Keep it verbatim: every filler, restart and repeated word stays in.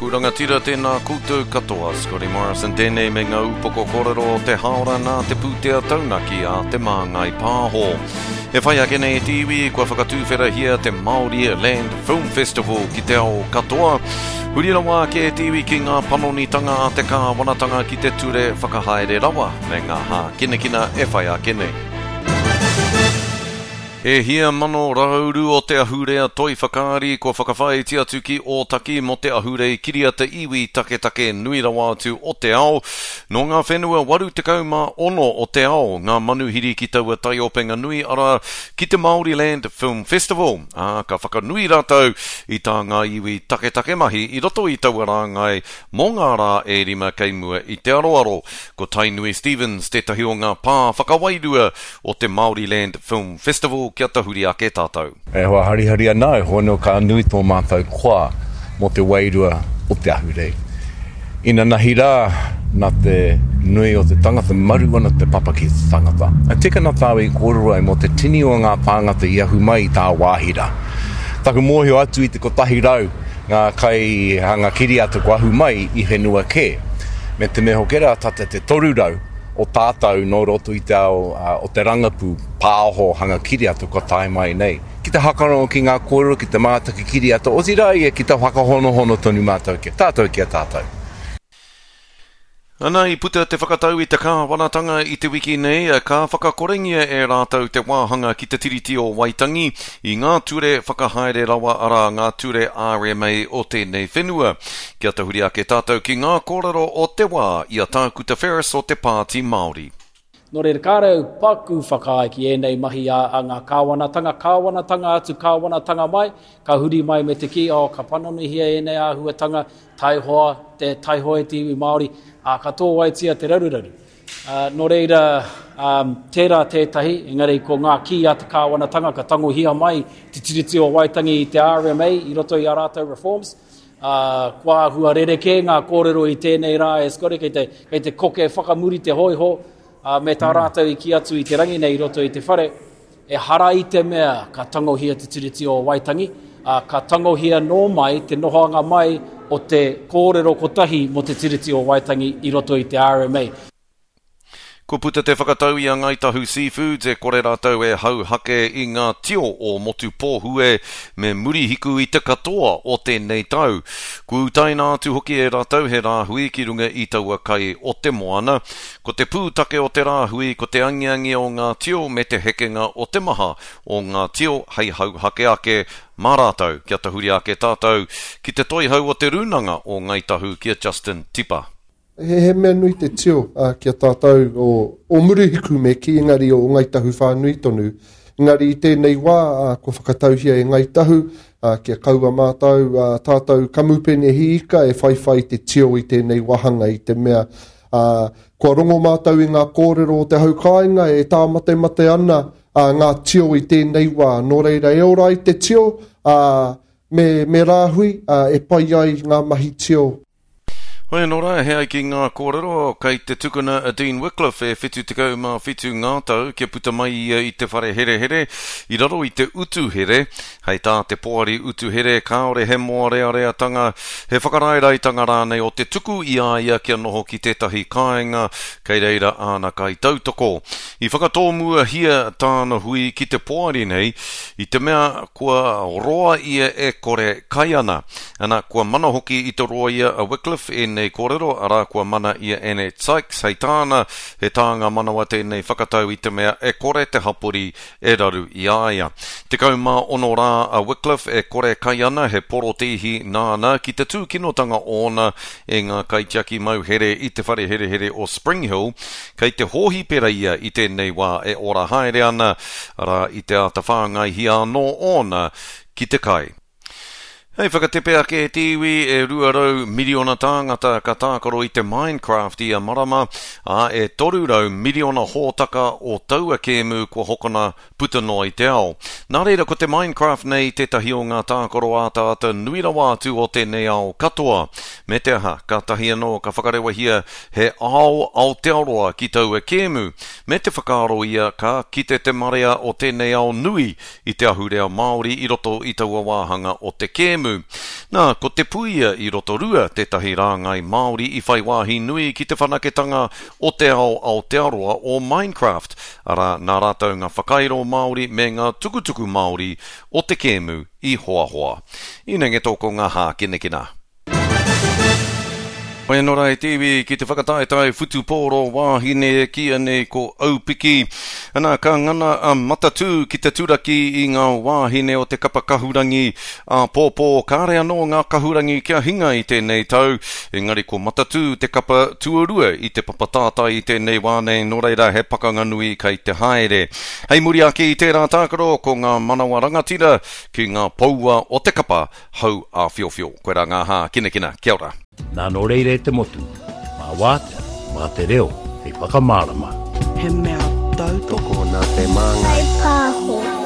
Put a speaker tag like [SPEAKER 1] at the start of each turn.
[SPEAKER 1] ōku rangatira, tēnā koutou katoa. Scotty Morrison tēnei me ngā upoko kōrero o te haora nā te pūtea taunaki a Te Māngai Pāho. E whai ake nei te iwi, kua whakatūwherahia te Māori Land Film Festival ki te ao katoa. Huri rawa ake te iwi ki ngā panonitanga a te kāwanatanga ki te ture whakahaere rawa me ngā hākinakina e whai ake nei. E hia mano rauru o te ahurea toi whakaari kua whakawhāiti atu ki Ōtaki mō te ahurei kiriata iwi taketake nui rawa atu o te ao. Nō ngā whenua waru tekau mā ono o te ao ngā manuhiri ki taua taiopenga nui arā ki te Māoriland Film Festival, ā, ka whakanui rātou i tā ngā iwi taketake mahi i roto i taua rāngai mō ngā rā e rima kei mua i te aroaro. Ko Tainui Stephens tētahi o ngā pā whakawairua o te Māoriland Film Festival kia tahuri ake tātou.
[SPEAKER 2] E hoa harihari ana, e hoa no ka nui tō mātou koa mō te wairua o te ahurei. Inanahi rā, nā te nui o te tangata, maru ana te papa ki te tangata. E tika ana tāu i kōrero ai mō te tini o ngā tāngata i ahu mai i tā wāhi rā. Taku mōhio atu i te kotahi rau ngā kaihanga kiriata kua ahu mai i whenua kē. Me te mea hoki rā, tata te toru rau o tātou nō roto i te ao o te rangapū pāho hanga kiriata kua tae mai nei. Ki te hakarongo ki ngā kōrero, ki te mātaki kiriata, otirā ia ki te whakahonohono tonu mātou ki a tātou ki a tātou.
[SPEAKER 1] Ana i puta te whakatau i te kāwanatanga i te wiki nei, ka whakakorengia e rātou te wāhanga ki te Tiriti o Waitangi i ngā ture whakahaere rawa arā ngā ture R M A o tēnei whenua. Kia tahuri ake tātou ki ngā kōrero o te wā i a Tākuta Ferris o te Pāti Māori.
[SPEAKER 3] Nō reira, kāre au paku whakaae ki ēnei mahi a, a ngā kāwanatanga, kāwanatanga atu, kāwanatanga mai, ka huri mai me te kī, oh, ka panonihia ēnei āhuatanga, taihoa, te taihoa e te iwi Māori, ā, ka tōwaitia te raruraru. Uh, nō reira, um, tērā tētahi, engari ko ngā kī a te kāwanatanga ka tangohia mai te Tiriti o Waitangi i te R M A i roto i a rātou reforms. Uh, kua āhua rerekē ngā kōrero i tēnei rā e Scotty, kei te, kei te koke whakamuri te hoiho, uh, me tā rātou i kī atu i te rangi nei i roto i te whare, e hara i te mea ka tangohia te Tiriti o Waitangi, uh, ka tangohia nō mai te nohoanga mai o te kōrero kotahi mō te Tiriti o Waitangi i roto i te R M A.
[SPEAKER 1] Kua puta te whakatau i a Ngāi Tahu Seafoods e kore rātou e hauhake i ngā tio o Motu Pōhue me Murihiku i te katoa o tēnei tau. Kua utaina atu hoki e rātou he rāhui ki runga i taua kai o te moana. Ko te pūtake o te rāhui ko te angiangi o ngā tio me te hekenga o te maha o ngā tio hei hauhake ake mā rātou. Kia tahuri ake tātou ki te toihau o te rūnanga o Ngāi Tahu ki a Justin Tipa.
[SPEAKER 4] He, he mea nui te tio, uh, ki a tātou o, o Murihiku me ki, engari o Ngāi Tahu whānui tonu. Engari i tēnei wā, uh, kua whakatauhia e Ngāi Tahu, uh, kia kaua mātou, uh, tātou kamupene hiika e whaiwhai te tio i tēnei wāhanga i te mea. Uh, kua rongo mātou i ngā kōrero o te hau kāinga e tāmatemate ana, uh, ngā tio i tēnei wā. Nō reira e ora ai te tio, uh, me, me rāhui, uh, e pai ai ngā mahi tio.
[SPEAKER 1] Hoi anō rā, he ai ki ngā kōrero, kei te tukuna a Dean Wickliffe e whitu tekau mā whitu ngā tau kia puta mai ia i te whare herehere i raro i te utu here. Hei tā te poari utu here, kāore he mōreareatanga, he whakaraeraetanga rānei o te tuku i a ia kia noho ki tētahi kāinga, kei reira āna kai tautoko. I whakatōmuahia tāna hui ki te poari nei, i te mea kua roa ia e kore kai ana. Ana, kua mana hoki i te roia a Wickliffe e nei kōrero, arā kua mana i a Annette Sykes, hei tāna, he tānga manawa tēnei whakatau i te mea e kore te hapori e raru i a ia. Tekau mā ono rā a Wickliffe e kore kai ana he porotīhi nāna ki te tūkinotanga ōna e ngā kaitiaki mauhere i te whare herehere o Spring Hill, kei te hōhipera ia i tēnei wā e ora haere ana, arā i te āta whāngaihia anō ōna ki te kai. Hei whakatepe ake e te iwi e rua rau miriona tāngata ka tākaro i te Minecraft i a marama, ā e toru rau miriona hōtaka o taua kēmu kua hokona puta noa i te ao. Nā reira ko te Minecraft nei tētahi o ngā tākaro ātaata nui rawa atu o tēnei ao katoa. Me te aha, ka tahi anō ka whakarewahia he ao Aotearoa ki taua kēmu. Me te whakaaro ia ka kite te marea o tēnei ao nui i te ahurea Māori i roto i taua wāhanga o te kēmu. kēmu. Nā, ko Te Puia i Rotorua tētahi rāngai Māori i whai wāhi nui ki te whanaketanga o te ao Aotearoa o Minecraft, arā, nā rātou ngā whakairo Māori me ngā tukutuku Māori o te kēmu i hoahoa. Inengeto ko ngā hākinakina. Hoi anō rā e te iwi ki te whakataetae whutupōro wāhine e kīia nei ko Aupiki. Ana, ka ngana a Matatū ki te turaki i ngā wāhine o te kapa kahurangi āpōpō. Kāre anō ngā kahurangi kia hinga i tēnei tau, engari ko Matatū te kapa tuarua i te papa tātai i tēnei wā nei, nō reira he pakanga nui kei te haere. Hei muri ake i tērā tākaro, ko ngā manawa rangatira ki ngā poua o te kapa hau āwhiowhio. Koirā ngā hākinakina. Kia ora.
[SPEAKER 5] Nā nō reira e te motu, mā wātea, mā te reo hei whakamārama.
[SPEAKER 6] He mea tautoko.
[SPEAKER 7] Tokona te māngai.
[SPEAKER 8] Whai pāho.